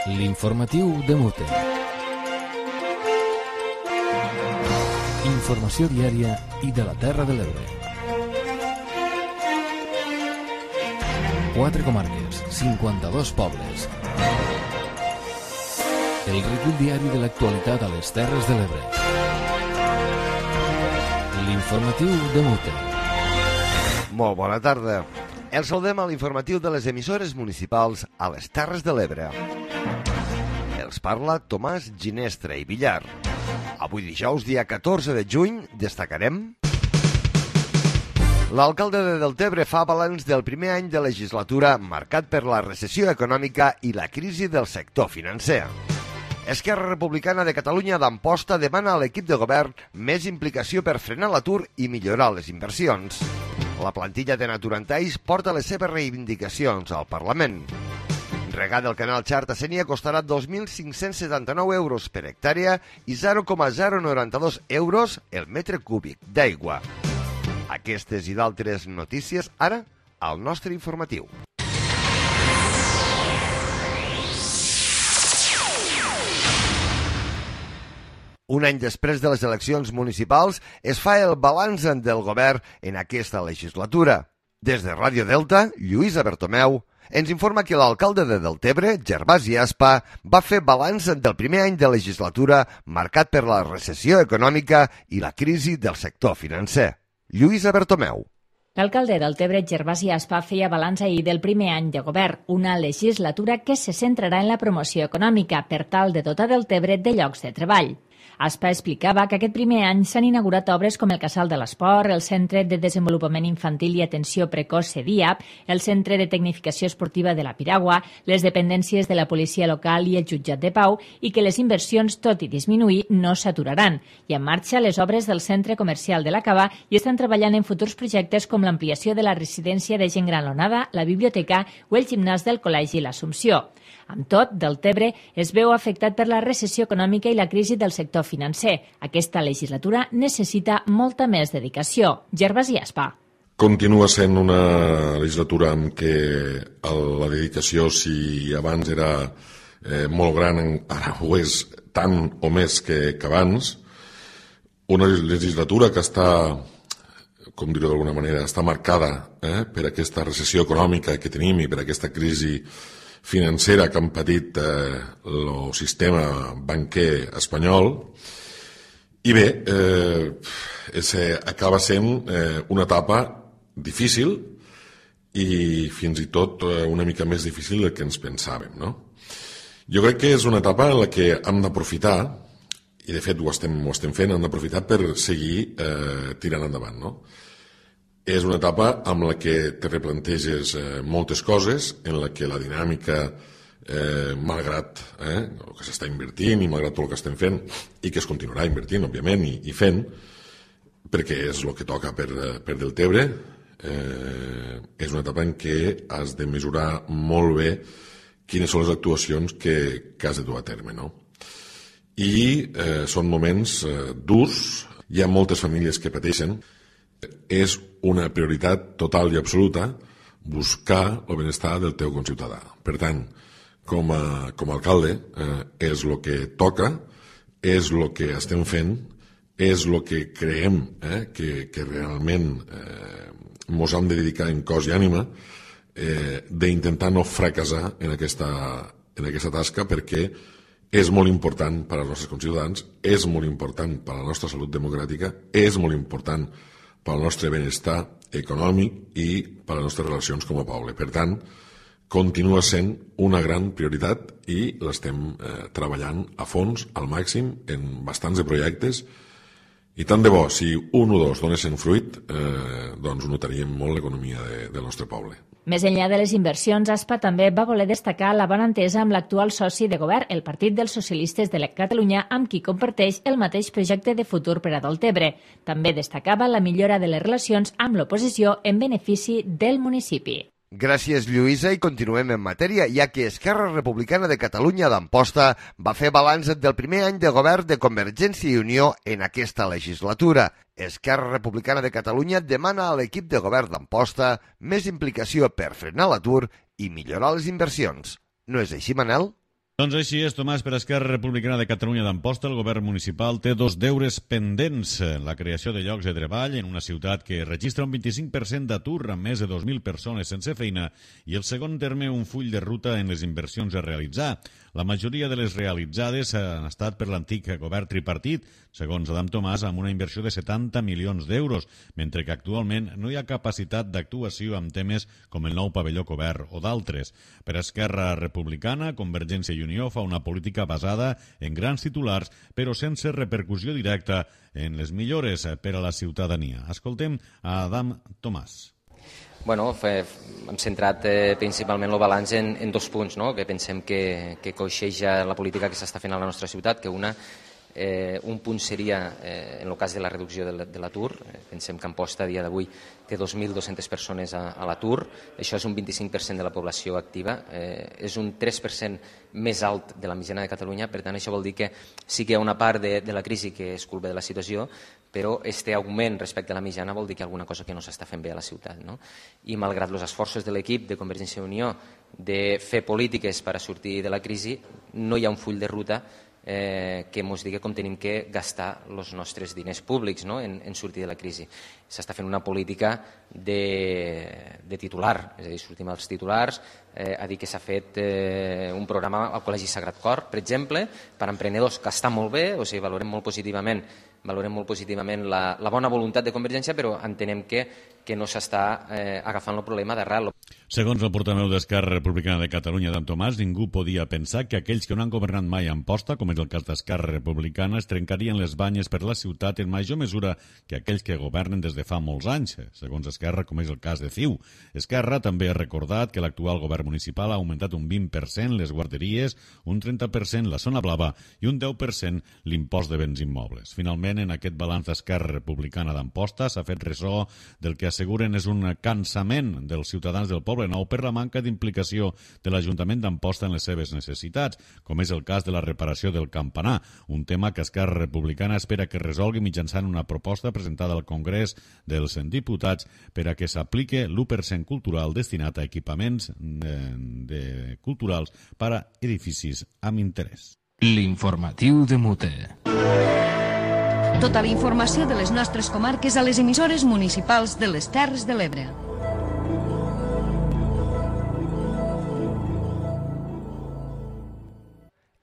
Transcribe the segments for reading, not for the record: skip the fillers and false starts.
L'informatiu de Mute. Informació diària i de la Terra de l'Ebre. 4 comarques, 52 pobles. El recull diari de l'actualitat a les Terres de l'Ebre. L'informatiu de Mute. Molt bona tarda. El saludem a l'informatiu de les emissores municipals a les Terres de l'Ebre. Els parla Tomàs Ginestra i Villar. Avui dijous, dia 14 de juny, destacarem... L'alcalde de Deltebre fa balanç del primer any de legislatura marcat per la recessió econòmica i la crisi del sector financer. Esquerra Republicana de Catalunya d'Amposta demana a l'equip de govern més implicació per frenar l'atur i millorar les inversions. La plantilla de Naturantaix porta les seves reivindicacions al Parlament. Regar del canal Xarta Sénia costarà 2.579 euros per hectàrea i 0,092 euros el metre cúbic d'aigua. Aquestes i d'altres notícies ara al nostre informatiu. Un any després de les eleccions municipals es fa el balanç del govern en aquesta legislatura. Des de Ràdio Delta, Lluïsa Bertomeu ens informa que l'alcalde de Deltebre, Gervasi Aspa, va fer balanç del primer any de legislatura marcat per la recessió econòmica i la crisi del sector financer. Lluïsa Bertomeu. L'alcalde del Deltebre, Gervasi Aspa, feia balanç ahir del primer any de govern, una legislatura que se centrarà en la promoció econòmica per tal de dotar Deltebre de llocs de treball. Aspa explicava que aquest primer any s'han inaugurat obres com el Casal de l'Esport, el Centre de Desenvolupament Infantil i Atenció Precoç CEDIAP, el Centre de Tecnificació Esportiva de la Piragua, les dependències de la Policia Local i el Jutjat de Pau, i que les inversions, tot i disminuir, no s'aturaran. I en marxa les obres del Centre Comercial de la Cava i estan treballant en futurs projectes com l'ampliació de la residència de gent gran L'Onada, la biblioteca o el gimnàs del Col·legi L'Assumpció. Amb tot, Deltebre es veu afectat per la recessió econòmica i la crisi del sector financer. Aquesta legislatura necessita molta més dedicació. Gervasi Aspa. Continua sent una legislatura en què la dedicació, si abans era molt gran, ara ho és tant o més que abans. Una legislatura que està, com dir-ho d'alguna manera, està marcada per aquesta recessió econòmica que tenim i per aquesta crisi financera que han patit el sistema banquer espanyol. I bé, acaba sent una etapa difícil i fins i tot una mica més difícil del que ens pensàvem, no? Jo crec que és una etapa en la que hem d'aprofitar, i de fet ho estem fent, hem d'aprofitar per seguir tirant endavant, no? És una etapa amb la que te replanteges moltes coses, en la que la dinàmica, malgrat el que s'està invertint i malgrat tot el que estem fent, i que es continuarà invertint, òbviament, i fent, perquè és el que toca per Deltebre, és una etapa en què has de mesurar molt bé quines són les actuacions que has de dur a terme, no? I són moments durs, hi ha moltes famílies que pateixen. És una prioritat total i absoluta buscar el benestar del teu conciutadà. Per tant, com a alcalde, és el que toca, és el que estem fent, és el que creiem que realment ens hem de dedicar en cos i ànima d'intentar no fracassar en aquesta tasca, perquè és molt important per als nostres conciutadans, és molt important per a la nostra salut democràtica, és molt important pel nostre benestar econòmic i per les nostres relacions com a poble. Per tant, continua sent una gran prioritat i l'estem treballant a fons, al màxim, en bastants de projectes, i tant de bo, si un o dos donessin fruit, doncs notaríem molt l'economia del nostre poble. Més enllà de les inversions, Aspa també va voler destacar la bona entesa amb l'actual soci de govern, el Partit dels Socialistes de Catalunya, amb qui comparteix el mateix projecte de futur per a Deltebre. També destacava la millora de les relacions amb l'oposició en benefici del municipi. Gràcies, Lluïsa, i continuem en matèria, ja que Esquerra Republicana de Catalunya d'Amposta va fer balanç del primer any de govern de Convergència i Unió en aquesta legislatura. Esquerra Republicana de Catalunya demana a l'equip de govern d'Amposta més implicació per frenar l'atur i millorar les inversions. No és així, Manel? Doncs així és, Tomàs, per Esquerra Republicana de Catalunya d'Amposta, el govern municipal té dos deures pendents. La creació de llocs de treball en una ciutat que registra un 25% d'atur amb més de 2.000 persones sense feina i el segon terme, un full de ruta en les inversions a realitzar. La majoria de les realitzades han estat per l'antic govern tripartit, segons Adam Tomàs, amb una inversió de 70 milions d'euros, mentre que actualment no hi ha capacitat d'actuació amb temes com el nou pavelló cobert o d'altres. Per Esquerra Republicana, Convergència i Unió fa una política basada en grans titulars, però sense repercussió directa en les millores per a la ciutadania. Escoltem a Adam Tomàs. Bueno, hem centrat principalment el balanç en dos punts, no? Que pensem que coixeja la política que s'està fent a la nostra ciutat, que un punt seria en el cas de la reducció de l'atur. Pensem que Amposta a dia d'avui té 2.200 persones a l'atur, això és un 25% de la població activa, és un 3% més alt de la mitjana de Catalunya, per tant això vol dir que sí que hi ha una part de la crisi que és culpa de la situació, però este augment respecte a la mitjana vol dir que hi ha alguna cosa que no s'està fent bé a la ciutat, no? I malgrat els esforços de l'equip de Convergència i Unió de fer polítiques per a sortir de la crisi, no hi ha un full de ruta que ens digui com tenim que gastar els nostres diners públics, no? en sortir de la crisi. S'està fent una política de titular, és a dir, sortim als titulars, a dir que s'ha fet un programa al Col·legi Sagrat Cor, per exemple, per a emprenedors, que està molt bé, o sigui, valorem molt positivament la bona voluntat de Convergència, però entenem que no s'està agafant el problema d'arrel. Segons el portaveu d'Esquerra Republicana de Catalunya, Adam Tomàs, ningú podia pensar que aquells que no han governat mai a Amposta, com és el cas d'Esquerra Republicana, es trencarien les banyes per la ciutat en major mesura que aquells que governen des de fa molts anys, segons Esquerra, com és el cas de CiU. Esquerra també ha recordat que l'actual govern municipal ha augmentat un 20% les guarderies, un 30% la zona blava i un 10% l'impost de béns immobles. Finalment, en aquest balanç d'Esquerra Republicana d'Amposta s'ha fet ressò del que asseguren és un cansament dels ciutadans del Poble Nou per la manca d'implicació de l'Ajuntament d'Amposta en les seves necessitats, com és el cas de la reparació del campanar, un tema que Esquerra Republicana espera que resolgui mitjançant una proposta presentada al Congrés dels Diputats per a que s'aplique l'1% cultural destinat a equipaments culturals per a edificis amb interès. L'informatiu de Mute. Tota la informació de les nostres comarques a les emissores municipals de les Terres de l'Ebre.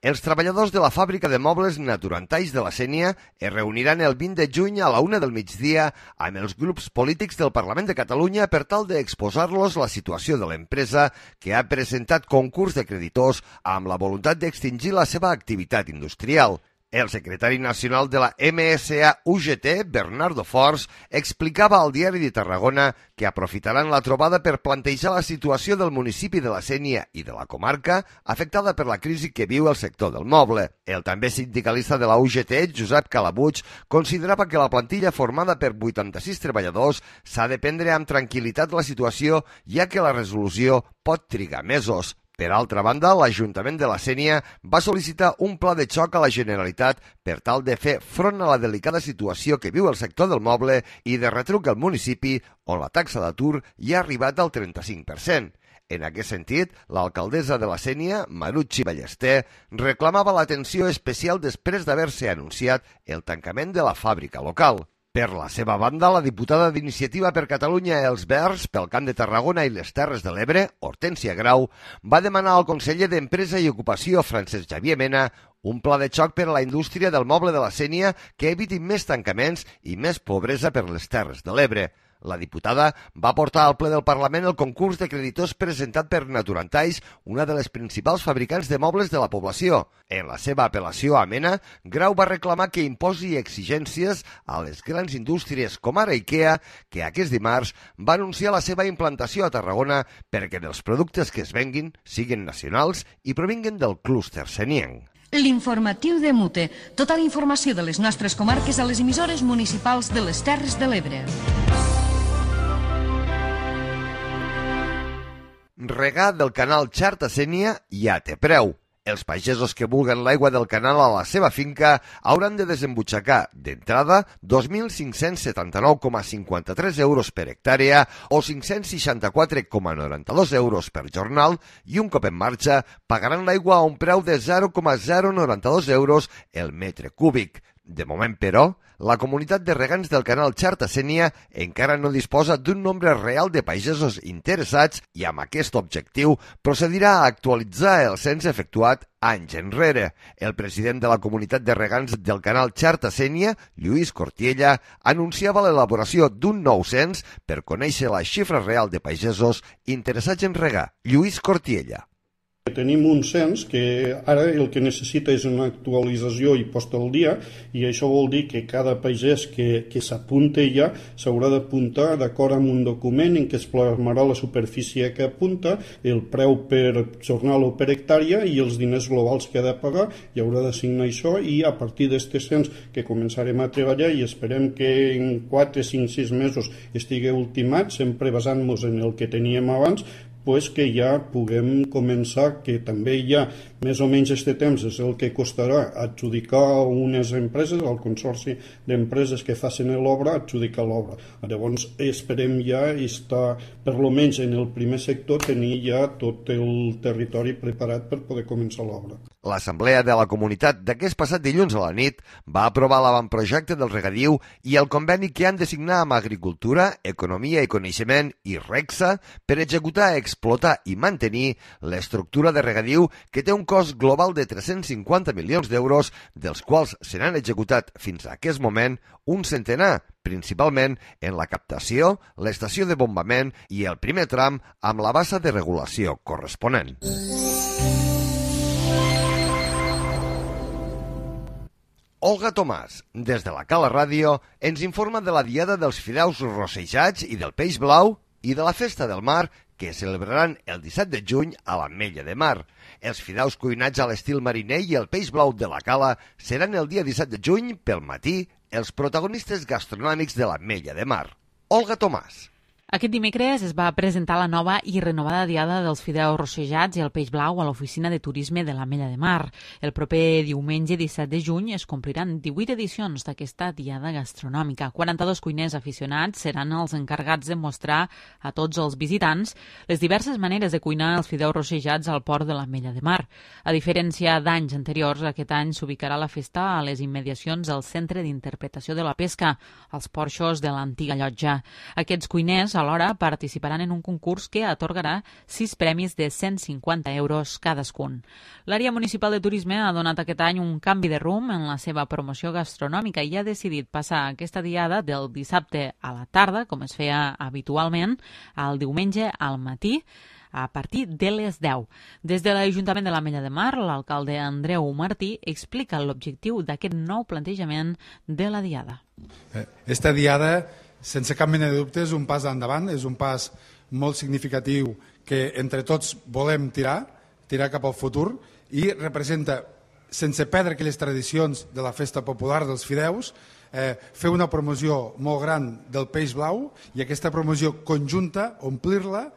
Els treballadors de la fàbrica de mobles Naturantalls de la Sénia es reuniran el 20 de juny a la 1 del migdia amb els grups polítics del Parlament de Catalunya per tal d'exposar-los la situació de l'empresa que ha presentat concurs de creditors amb la voluntat d'extingir la seva activitat industrial. El secretari nacional de la MSA-UGT, Bernardo Forns, explicava al Diari de Tarragona que aprofitaran la trobada per plantejar la situació del municipi de la Sénia i de la comarca afectada per la crisi que viu el sector del moble. El també sindicalista de la UGT, Josep Calabuig, considerava que la plantilla formada per 86 treballadors s'ha de prendre amb tranquil·litat la situació, ja que la resolució pot trigar mesos. Per altra banda, l'Ajuntament de la Sénia va sol·licitar un pla de xoc a la Generalitat per tal de fer front a la delicada situació que viu el sector del moble i de retruc al municipi, on la taxa d'atur ja ha arribat al 35%. En aquest sentit, l'alcaldessa de la Sénia, Marucci Ballester, reclamava l'atenció especial després d'haver-se anunciat el tancament de la fàbrica local. Per la seva banda, la diputada d'Iniciativa per Catalunya Els Verds pel Camp de Tarragona i les Terres de l'Ebre, Hortènsia Grau, va demanar al conseller d'Empresa i Ocupació, Francesc Xavier Mena, un pla de xoc per a la indústria del moble de la Sénia que eviti més tancaments i més pobresa per les Terres de l'Ebre. La diputada va portar al ple del Parlament el concurs de creditors presentat per Naturantalls, una de les principals fabricants de mobles de la població. En la seva apel·lació a Mena, Grau va reclamar que imposi exigències a les grans indústries com ara IKEA, que aquest dimarts va anunciar la seva implantació a Tarragona perquè dels productes que es venguin siguin nacionals i provinguen del clúster senienc. L'informatiu de Mute. Tota la informació de les nostres comarques a les emissores municipals de les Terres de l'Ebre. Regar del canal Xarta Sénia ja té preu. Els pagesos que vulguen l'aigua del canal a la seva finca hauran de desembutxacar d'entrada 2.579,53 euros per hectàrea o 564,92 euros per jornal i un cop en marxa pagaran l'aigua a un preu de 0,092 euros el metre cúbic. De moment, però, la comunitat de regants del canal Xarta-Sénia encara no disposa d'un nombre real de pagesos interessats i amb aquest objectiu procedirà a actualitzar el cens efectuat anys enrere. El president de la comunitat de regants del canal Xarta-Sénia, Lluís Cortiella, anunciava l'elaboració d'un nou cens per conèixer la xifra real de pagesos interessats en regar. Lluís Cortiella. Tenim un cens que ara el que necessita és una actualització i posta al dia, i això vol dir que cada pagès que s'apunta ja s'haurà d'apuntar d'acord amb un document en què es plasmarà la superfície que apunta, el preu per jornal o per hectàrea i els diners globals que ha de pagar, i haurà d'assignar això, i a partir d'aquest cens que començarem a treballar i esperem que en 4, 5, 6 mesos estigui ultimat, sempre basant-nos en el que teníem abans, pues que ja puguem començar, que també ja més o menys este temps és el que costarà adjudicar unes empreses, al consorci d'empreses que facin l'obra, adjudicar l'obra. Llavors esperem ja estar, per lo menys en el primer sector, tenir ja tot el territori preparat per poder començar l'obra. L'Assemblea de la Comunitat d'aquest passat dilluns a la nit va aprovar l'avantprojecte del regadiu i el conveni que han de signar amb Agricultura, Economia i Coneixement i REGSA per executar, explotar i mantenir l'estructura de regadiu que té un cost global de 350 milions d'euros, dels quals se n'han executat fins a aquest moment un centenar, principalment en la captació, l'estació de bombament i el primer tram amb la bassa de regulació corresponent. Olga Tomàs, des de la Cala Ràdio, ens informa de la Diada dels Fideus Rossejats i del Peix Blau i de la Festa del Mar que celebraran el 17 de juny a l'Ametlla de Mar. Els fideus cuinats a l'estil mariner i el peix blau de la Cala seran el dia 17 de juny pel matí els protagonistes gastronòmics de l'Ametlla de Mar. Olga Tomàs. Aquest dimecres es va presentar la nova i renovada Diada dels Fideus Rossejats i el Peix Blau a l'Oficina de Turisme de l'Ametlla de Mar. El proper diumenge 17 de juny es compliran 18 edicions d'aquesta Diada gastronòmica. 42 cuiners aficionats seran els encarregats de mostrar a tots els visitants les diverses maneres de cuinar els fideus rossejats al port de l'Ametlla de Mar. A diferència d'anys anteriors, aquest any s'ubicarà la festa a les immediacions del Centre d'Interpretació de la Pesca, als porxos de l'antiga llotja. Aquests cuiners alhora participaran en un concurs que atorgarà 6 premis de 150 euros cadascun. L'àrea municipal de turisme ha donat aquest any un canvi de rumb en la seva promoció gastronòmica i ha decidit passar aquesta diada del dissabte a la tarda, com es feia habitualment, al diumenge al matí, a partir de les 10. Des de l'Ajuntament de l'Ametlla de Mar, l'alcalde Andreu Martí explica l'objectiu d'aquest nou plantejament de la diada. Esta diada, sense cap mena de dubte, és un pas endavant, és un pas molt significatiu que entre tots volem tirar cap al futur i representa, sense perdre aquelles tradicions de la festa popular dels fideus, fer una promoció molt gran del peix blau i aquesta promoció conjunta, omplir-la,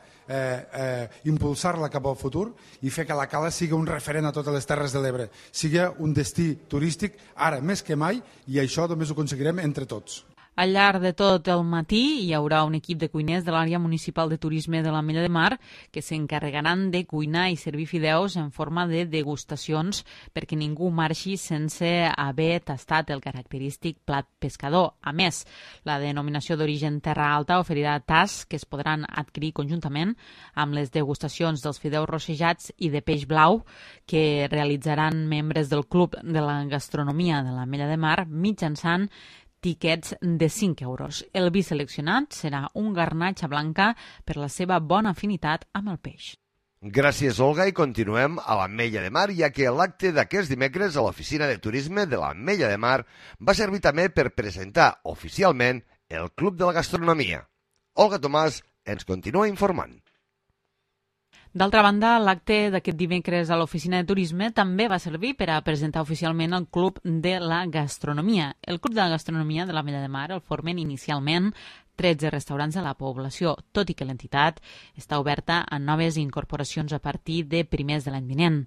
impulsar-la cap al futur i fer que la Cala sigui un referent a totes les Terres de l'Ebre, sigui un destí turístic ara més que mai, i això només ho aconseguirem entre tots. Al llarg de tot el matí hi haurà un equip de cuiners de l'àrea municipal de turisme de l'Ametlla de Mar que s'encarregaran de cuinar i servir fideus en forma de degustacions perquè ningú marxi sense haver tastat el característic plat pescador. A més, la denominació d'origen Terra Alta oferirà tasts que es podran adquirir conjuntament amb les degustacions dels fideus rossejats i de peix blau que realitzaran membres del Club de la Gastronomia de l'Ametlla de Mar mitjançant tiquets de 5 euros. El vi seleccionat serà un garnatxa blanca per la seva bona afinitat amb el peix. Gràcies, Olga, i continuem a l'Ametlla de Mar, ja que l'acte d'aquest dimecres a l'Oficina de Turisme de l'Ametlla de Mar va servir també per presentar oficialment el Club de la Gastronomia. Olga Tomàs ens continua informant. D'altra banda, l'acte d'aquest dimecres a l'Oficina de Turisme també va servir per a presentar oficialment el Club de la Gastronomia. El Club de la Gastronomia de l'Ametlla de Mar el formen inicialment 13 restaurants de la població, tot i que l'entitat està oberta a noves incorporacions a partir de primers de l'any vinent.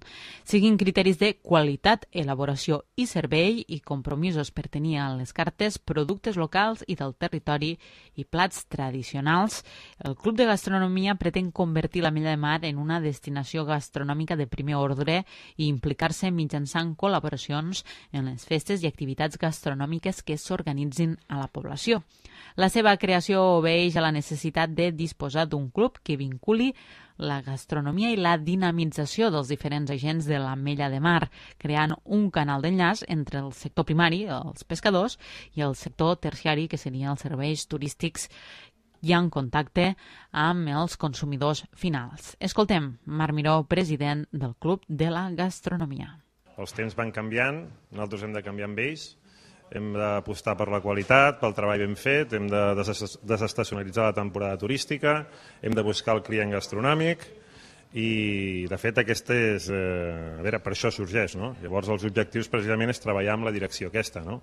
Seguint criteris de qualitat, elaboració i servei i compromisos per tenir a les cartes productes locals i del territori i plats tradicionals, el Club de Gastronomia pretén convertir l'Ametlla de Mar en una destinació gastronòmica de primer ordre i implicar-se mitjançant col·laboracions en les festes i activitats gastronòmiques que s'organitzin a la població. La seva creació obeeix a la necessitat de disposar d'un club que vinculi la gastronomia i la dinamització dels diferents agents de l'Ametlla de Mar, creant un canal d'enllaç entre el sector primari, els pescadors, i el sector terciari, que serien els serveis turístics i en contacte amb els consumidors finals. Escoltem Marc Miró, president del Club de la Gastronomia. Els temps van canviant, nosaltres hem de canviar amb ells, hem d'apostar per la qualitat, pel treball ben fet, hem de desestacionalitzar la temporada turística, hem de buscar el client gastronòmic i, de fet, aquesta és... A veure, per això sorgeix, no? Llavors, els objectius precisament és treballar amb la direcció aquesta, no?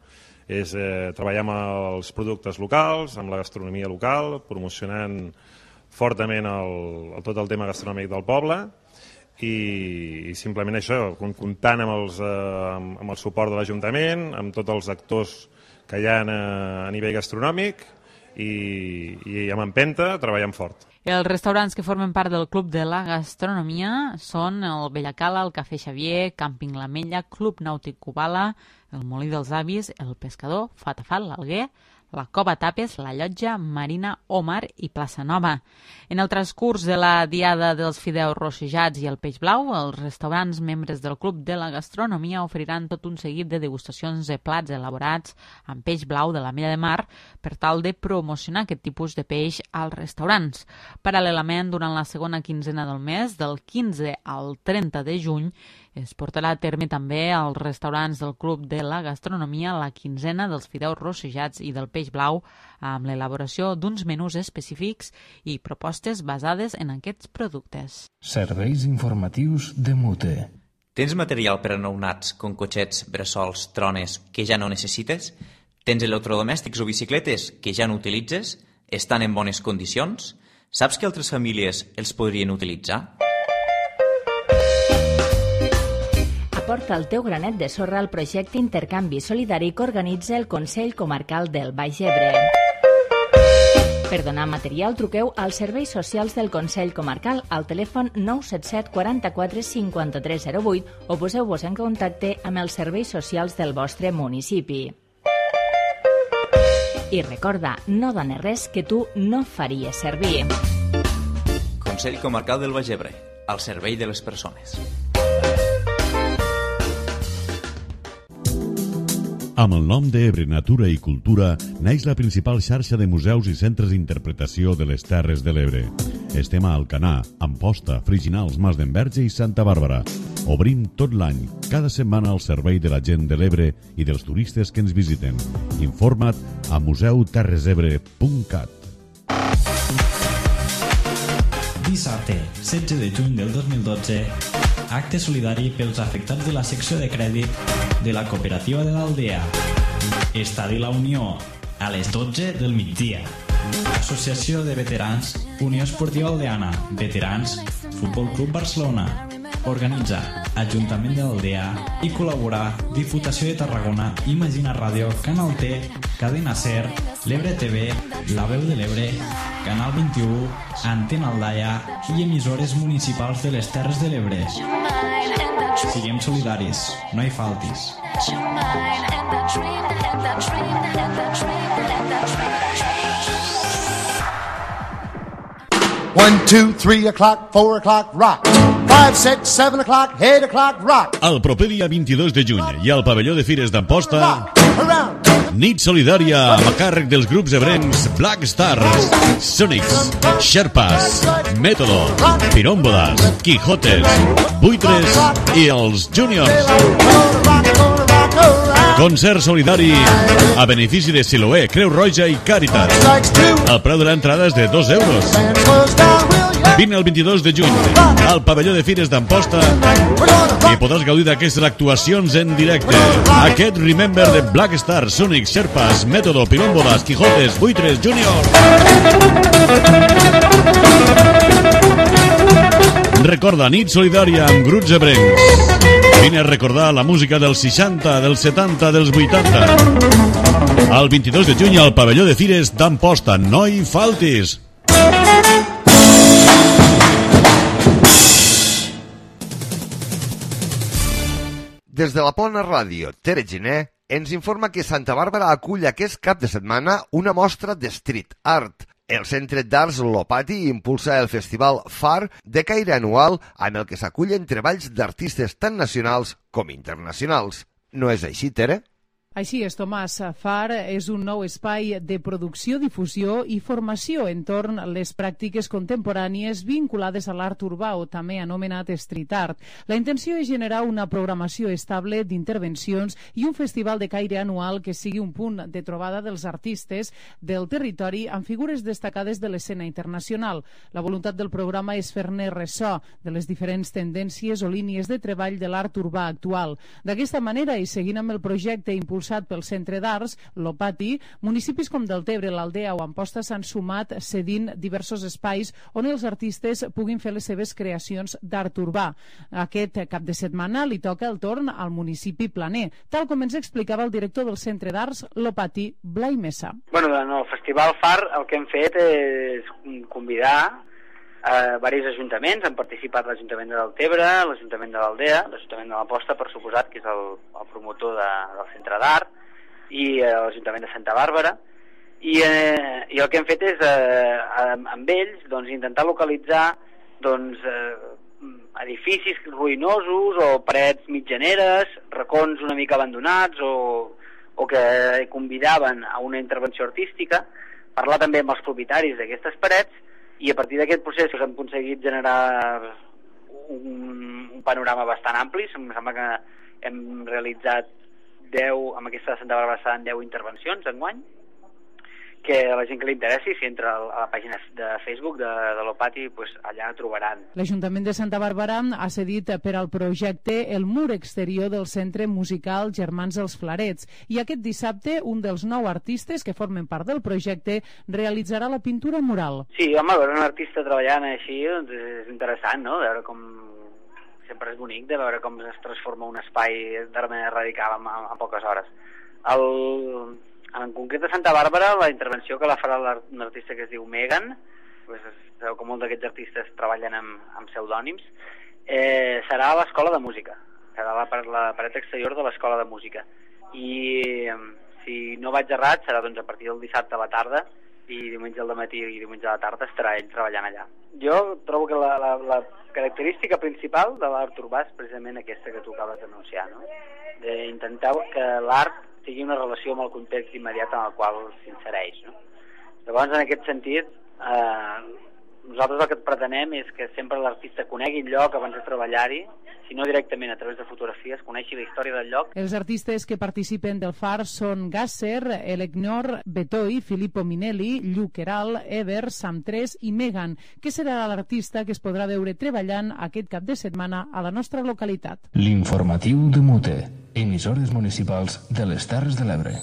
És treballar amb els productes locals, amb la gastronomia local, promocionant fortament tot el tema gastronòmic del poble i simplement això, comptant amb el suport de l'Ajuntament, amb tots els actors que hi ha a nivell gastronòmic i amb empenta, treballant fort. Els restaurants que formen part del Club de la Gastronomia són el Bellacala, el Cafè Xavier, Càmping l'Ametlla, Club Nàutic Cubala, el Molí dels Avis, el Pescador, Fatafal, l'Alguer, la Cova Tapes, la Llotja, Marina, Omar i Plaça Nova. En el transcurs de la Diada dels Fideus Rossejats i el Peix Blau, els restaurants membres del Club de la Gastronomia oferiran tot un seguit de degustacions de plats elaborats amb peix blau de l'Ametlla de Mar per tal de promocionar aquest tipus de peix als restaurants. Paral·lelament, durant la segona quinzena del mes, del 15 al 30 de juny, es portarà a terme també als restaurants del Club de la Gastronomia la quinzena dels fideus rossejats i del peix blau amb l'elaboració d'uns menús específics i propostes basades en aquests productes. Serveis informatius de Mute. Tens material per a nounats com cotxets, bressols, trones que ja no necessites? Tens electrodomèstics o bicicletes que ja no utilitzes? Estan en bones condicions? Saps que altres famílies els podrien utilitzar? Aporta el teu granet de sorra al projecte Intercanvi Solidari que organitza el Consell Comarcal del Baix Ebre. Per donar material, truqueu als serveis socials del Consell Comarcal al telèfon 977 44 5308 o poseu-vos en contacte amb els serveis socials del vostre municipi. I recorda, no dones res que tu no faries servir. Consell Comarcal del Baix Ebre, al servei de les persones. Amb el nom d'Ebre Natura i Cultura naix la principal xarxa de museus i centres d'interpretació de les Terres de l'Ebre. Estem a Alcanar, Amposta, Friginals, Mas d'Enverge i Santa Bàrbara. Obrim tot l'any, cada setmana al servei de la gent de l'Ebre i dels turistes que ens visiten. Informa't a museuterresebre.cat. Dissabte, 16 de juny del 2012, acte solidari pels afectats de la secció de crèdit de la cooperativa de l'Aldea. Estadi La Unió, a les 12 del migdia. Associació de Veterans, Unió Esportiva Aldeana, Veterans, Futbol Club Barcelona. Organitza Ajuntament de l'Aldea i col·labora Diputació de Tarragona, Imagina Ràdio, Canal T, Cadena Ser, l'Ebre TV, La Veu de l'Ebre, Canal 21, Antena Aldaia i emissores municipals de les Terres de l'Ebre. Siguem solidaris, no hi faltis. 1, 2, 3 o'clock, 4 o'clock, rock. 5, 6, 7 o'clock, 8 o'clock, rock. El proper dia 22 de juny i al pavelló de Fires d'Amposta, nit solidària a càrrec dels grups ebrencs Black Stars, Sonics, Sherpas, Método, Pirómbodas, Quijotes, Buitres i els Juniors. Concert solidari a benefici de Siloé, Creu Roja i Càritas. El preu de l'entrada és de 2 euros. Vine el 22 de juny al pavelló de Fires d'Amposta i podràs gaudir d'aquestes actuacions en directe. Aquest Remember de Black Star, Sonic, Sherpas, Método, Pilómbolas, Quijotes, Buitres, Junior. Recorda, nit solidària amb grups ebrencs. Vine a recordar la música dels 60, dels 70, dels 80. El 22 de juny al pavelló de Fires d'Amposta. No hi faltis! Des de la Plana Ràdio, Tere Giner ens informa que Santa Bàrbara acull aquest cap de setmana una mostra de street art. El Centre d'Arts Lopati impulsa el festival FAR de caire anual amb el que s'acullen treballs d'artistes tant nacionals com internacionals. No és així, Tere? Així és, Tomàs. FAR és un nou espai de producció, difusió i formació entorn les pràctiques contemporànies vinculades a l'art urbà, o també anomenat street art. La intenció és generar una programació estable d'intervencions i un festival de caire anual que sigui un punt de trobada dels artistes del territori amb figures destacades de l'escena internacional. La voluntat del programa és fer-ne ressò de les diferents tendències o línies de treball de l'art urbà actual. D'aquesta manera, i seguint amb el projecte impulsat pel Centre d'Arts Lopati, municipis com Deltebre, l'Aldea o Amposta s'han sumat cedint diversos espais on els artistes puguin fer les seves creacions d'art urbà. Aquest cap de setmana li toca el torn al municipi planer, tal com ens explicava el director del Centre d'Arts Lopati, Blai Mesa. Bueno, en el Festival FAR el que hem fet és convidar diversos ajuntaments. Han participat l'Ajuntament de Deltebre, l'Ajuntament de l'Aldea, l'Ajuntament de l'Amposta, per suposat, que és el promotor del Centre d'Art, i l'Ajuntament de Santa Bàrbara. I el que hem fet és, amb ells, intentar localitzar edificis ruïnosos o parets mitjaneres, racons una mica abandonats o que convidaven a una intervenció artística, parlar també amb els propietaris d'aquestes parets, i a partir d'aquest procés hem aconseguit generar un panorama bastant ampli. Em sembla que hem realitzat 10, amb aquesta de Santa Bàrbara seran 10 intervencions enguany, que a la gent que li interessi, si entra a la pàgina de Facebook de l'Opati, allà trobaran. L'Ajuntament de Santa Bàrbara ha cedit per al projecte el mur exterior del Centre Musical Germans els Flarets, i aquest dissabte un dels 9 artistes que formen part del projecte realitzarà la pintura mural. Sí, home, veure un artista treballant així és interessant, no? De veure com... Sempre és bonic de veure com es transforma un espai de manera radical en poques hores. En concret a Santa Bàrbara, la intervenció que la farà un artista que es diu Megan, sabeu que molts d'aquests artistes treballen amb pseudònims, serà a l'Escola de Música, serà la paret exterior de l'Escola de Música. I si no vaig errat, serà a partir del dissabte a la tarda, i diumenge al matí i diumenge a la tarda estarà ell treballant allà. Jo trobo que la característica principal de l'art urbà és precisament aquesta que tu acabes d'anunciar, no? D'intentar que l'art tingui una relació amb el context immediat en el qual s'insereix, no? Llavors, en aquest sentit, nosaltres el que pretenem és que sempre l'artista conegui el lloc abans de treballar-hi, si no directament a través de fotografies, coneixi la història del lloc. Els artistes que participen del FAR són Gasser, Elegnor, Betoi, Filippo Minelli, Lluc Queralt, Ever, Sam3 i Megan, que serà l'artista que es podrà veure treballant aquest cap de setmana a la nostra localitat. L'informatiu de Mute, emissores municipals de les Terres de l'Ebre.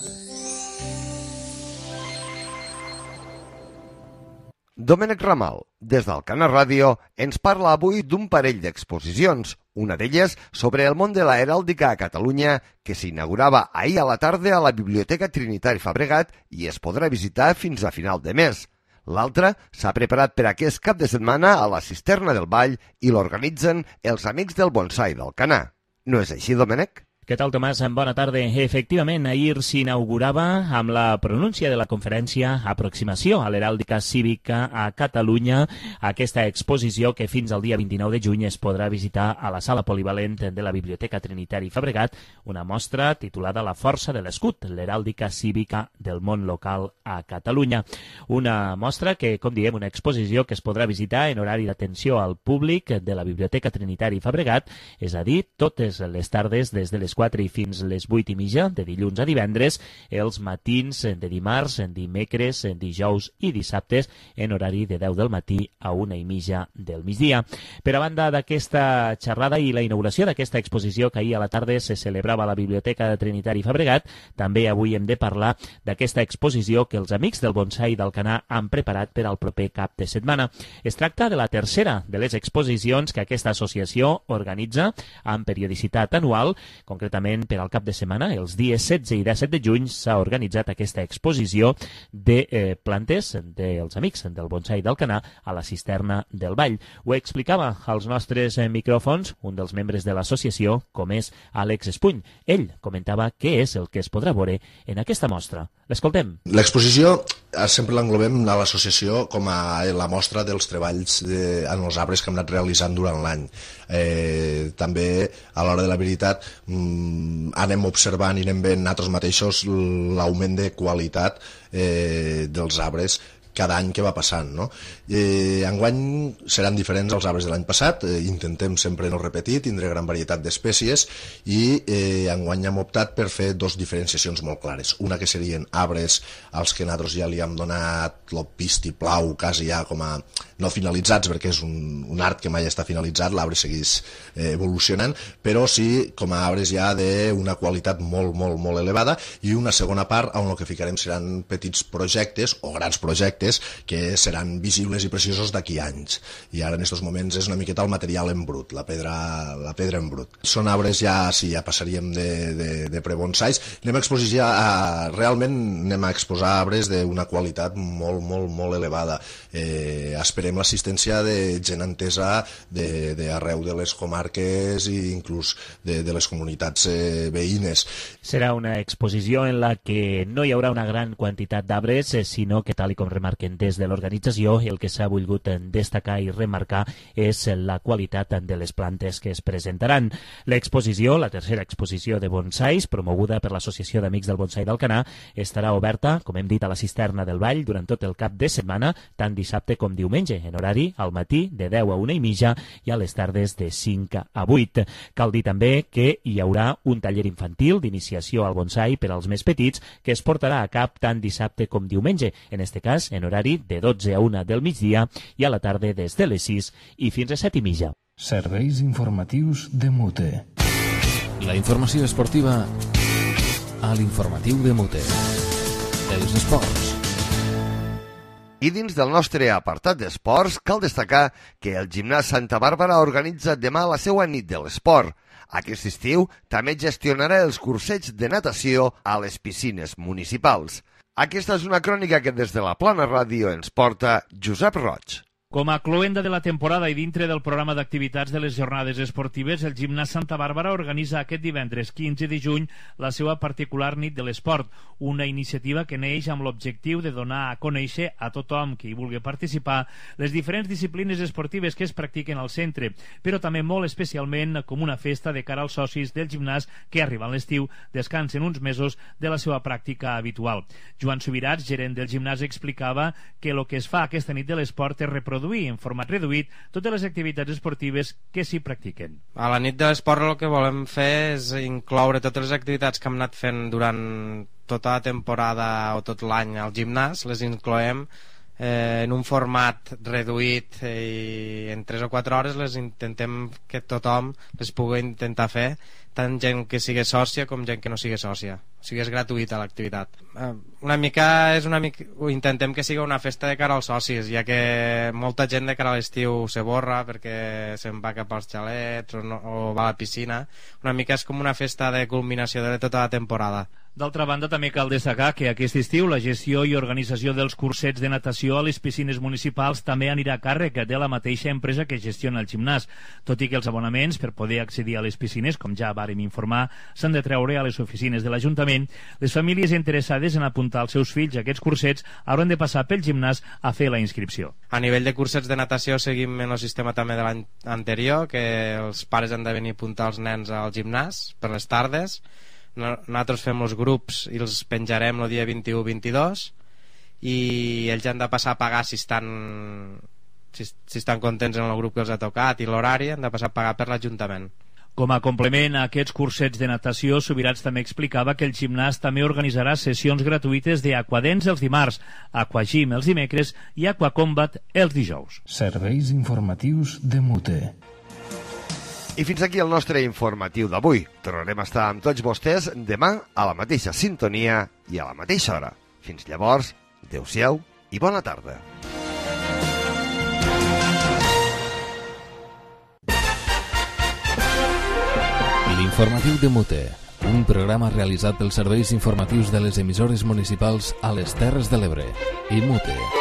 Domènec Ramal, des d'Alcana Ràdio, ens parla avui d'un parell d'exposicions, una d'elles sobre el món de la heràldica a Catalunya, que s'inaugurava ahir a la tarda a la Biblioteca Trinitari Fabregat i es podrà visitar fins a final de mes. L'altra s'ha preparat per aquest cap de setmana a la Cisterna del Vall i l'organitzen els Amics del Bonsai d'Alcanar. No és així, Domènec? Què tal, Tomàs? Bona tarda. Efectivament, ahir s'inaugurava amb la pronúncia de la conferència Aproximació a l'heràldica cívica a Catalunya aquesta exposició que fins al dia 29 de juny es podrà visitar a la sala polivalent de la Biblioteca Trinitari Fabregat, una mostra titulada La força de l'escut, l'heràldica cívica del món local a Catalunya. Una mostra que, com diem, una exposició que es podrà visitar en horari d'atenció al públic de la Biblioteca Trinitari Fabregat, és a dir, totes les tardes des de les 4 i fins les 8 i mitja, de dilluns a divendres, els matins de dimarts, dimecres, dijous i dissabtes, en horari de 10 del matí a 1 i mitja del migdia. Per a banda d'aquesta xerrada i la inauguració d'aquesta exposició que ahir a la tarda se celebrava a la Biblioteca Trinitari Fabregat, també avui hem de parlar d'aquesta exposició que els amics del bonsai d'Alcanar han preparat per al proper cap de setmana. Es tracta de la tercera de les exposicions que aquesta associació organitza amb periodicitat anual. Concretament, per al cap de setmana, els dies 16 i 17 de juny, s'ha organitzat aquesta exposició de plantes dels amics del bonsai d'Alcanar a la cisterna del Vall. Ho explicava als nostres micròfons un dels membres de l'associació, com és Àlex Espuny. Ell comentava què és el que es podrà veure en aquesta mostra. L'escoltem. L'exposició sempre l'englobem a l'associació com a la mostra dels treballs en els arbres que hem anat realitzant durant l'any. També, a l'hora de la veritat, anem observant i anem veient nosaltres mateixos l'augment de qualitat dels arbres cada any que va passant, no? Enguany seran diferents els arbres de l'any passat, intentem sempre no repetir, tindre gran varietat d'espècies i enguany hem optat per fer dos diferenciacions molt clares. Una que serien arbres als que nosaltres ja li hem donat el vistiplau quasi ja com a no finalitzats, perquè és un art que mai està finalitzat, l'arbre segueix evolucionant, però sí com a arbres ja d'una qualitat molt, molt, molt elevada, i una segona part on el que ficarem seran petits projectes o grans projectes que seran visibles i preciosos d'aquí anys. I ara en aquests moments és una miqueta el material en brut, la pedra en brut. Són arbres ja, sí, ja passaríem de prebonsais. Realment anem a exposar arbres d'una qualitat molt, molt, molt elevada. Esperem l'assistència de gent entesa d'arreu de les comarques i inclús de les comunitats veïnes. Serà una exposició en la que no hi haurà una gran quantitat d'arbres, sinó que, tal com remarquen des de l'organització, el que s'ha volgut destacar i remarcar és la qualitat de les plantes que es presentaran. L'exposició, la tercera exposició de bonsais, promoguda per l'Associació d'Amics del Bonsai d'Alcanar, estarà oberta, com hem dit, a la cisterna del Vall durant tot el cap de setmana, tant dissabte com diumenge, en horari al matí de 10 a 1 i mitja i a les tardes de 5 a 8. Cal dir també que hi haurà un taller infantil d'iniciació al bonsai per als més petits que es portarà a cap tant dissabte com diumenge, en este cas en horari de 12 a 1 del migdia i a la tarda des de les 6 i fins a 7 i mitja. Serveis informatius de Mute. La informació esportiva a l'informatiu de Mute. Els esports. I dins del nostre apartat d'esports cal destacar que el Gimnàs Santa Bàrbara organitza demà la seva nit de l'esport. Aquest estiu també gestionarà els cursets de natació a les piscines municipals. Aquesta és una crònica que des de la Plana Ràdio ens porta Josep Roig. Com a cloenda de la temporada i dintre del programa d'activitats de les jornades esportives, el Gimnàs Santa Bàrbara organitza aquest divendres 15 de juny la seva particular nit de l'esport, una iniciativa que neix amb l'objectiu de donar a conèixer a tothom que hi vulgui participar les diferents disciplines esportives que es practiquen al centre, però també molt especialment com una festa de cara als socis del gimnàs que arriben l'estiu, descansen uns mesos de la seva pràctica habitual. Joan Subirats, gerent del gimnàs, explicava que el que es fa aquesta nit de l'esport és reproduir en format reduït totes les activitats esportives que s'hi practiquen. A la nit de l'esport el que volem fer és incloure totes les activitats que hem anat fent durant tota la temporada o tot l'any al gimnàs, les incloem en un format reduït i en 3 o 4 hores les intentem que tothom les pugui intentar fer, tant gent que sigui sòcia com gent que no sigui sòcia. O sigui, és gratuïta l'activitat. Ho intentem que sigui una festa de cara als socis, ja que molta gent de cara a l'estiu se borra perquè se'n va cap als xalets o va a la piscina. Una mica és com una festa de culminació de tota la temporada. D'altra banda, també cal destacar que aquest estiu la gestió i organització dels cursets de natació a les piscines municipals també anirà a càrrec de la mateixa empresa que gestiona el gimnàs, tot i que els abonaments per poder accedir a les piscines, com ja vàrem informar, s'han de treure a les oficines de l'Ajuntament. Les famílies interessades en apuntar els seus fills a aquests cursets hauran de passar pel gimnàs a fer la inscripció. A nivell de cursets de natació seguim en el sistema també de l'any anterior, que els pares han de venir a apuntar els nens al gimnàs per les tardes. Nosaltres fem els grups i els penjarem el dia 21-22 i ells han de passar a pagar si estan contents en el grup que els ha tocat i l'horari, han de passar a pagar per l'Ajuntament. Com a complement a aquests cursets de natació, Subirats també explicava que el gimnàs també organitzarà sessions gratuïtes d'Aquadens els dimarts, Aquagym els dimecres i Aquacombat els dijous. Serveis informatius de Mute. I fins aquí el nostre informatiu d'avui. Tornarem a estar amb tots vostès demà a la mateixa sintonia i a la mateixa hora. Fins llavors, adeu-siau i bona tarda. L'informatiu de Mute, un programa realitzat pels serveis informatius de les emissores municipals a les Terres de l'Ebre i Mute.